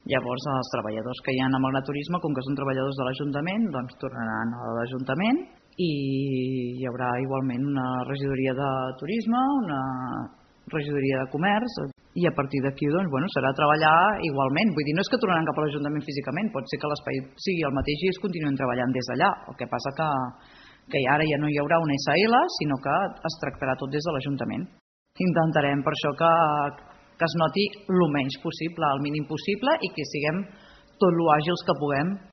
Llavors els treballadors que hi ha amb Agraturisme, com que són treballadors de l'Ajuntament, doncs tornaran a l'Ajuntament i hi haurà igualment una regidoria de turisme, una regidoria de comerç, i a partir d'aquí serà treballar igualment. Vull dir, no és que tornaran cap a l'Ajuntament físicament, pot ser que l'espai sigui el mateix i es continuïn treballant des d'allà. El que passa que ara ja no hi haurà una SL, sinó que es tractarà tot des de l'Ajuntament. Intentarem per això que es noti el menys possible, el mínim possible, i que siguem tot lo àgils que puguem